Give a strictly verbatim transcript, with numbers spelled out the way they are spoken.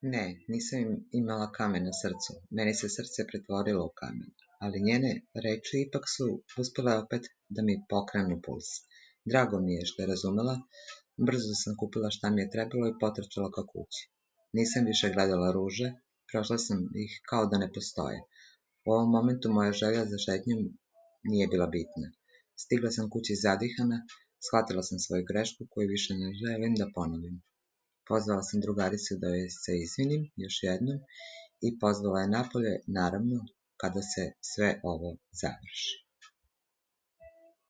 Ne, nisam im- imala kamen na srcu, meni se srce pretvorilo u kamen, ali njene reči ipak su uspjele opet da mi pokrenu puls. Drago mi je što je razumela, brzo sam kupila šta mi je trebalo i potrčala ka kući. Nisam više gledala ruže, prošla sam ih kao da ne postoje. U ovom momentu moja želja za šetnjom nije bila bitna. Stigla sam kući zadihana, shvatila sam svoju grešku koju više ne želim da ponovim. Pozvala sam drugaricu da joj se izvinim još jednom i pozvala je napolje, naravno, kada se sve ovo završi.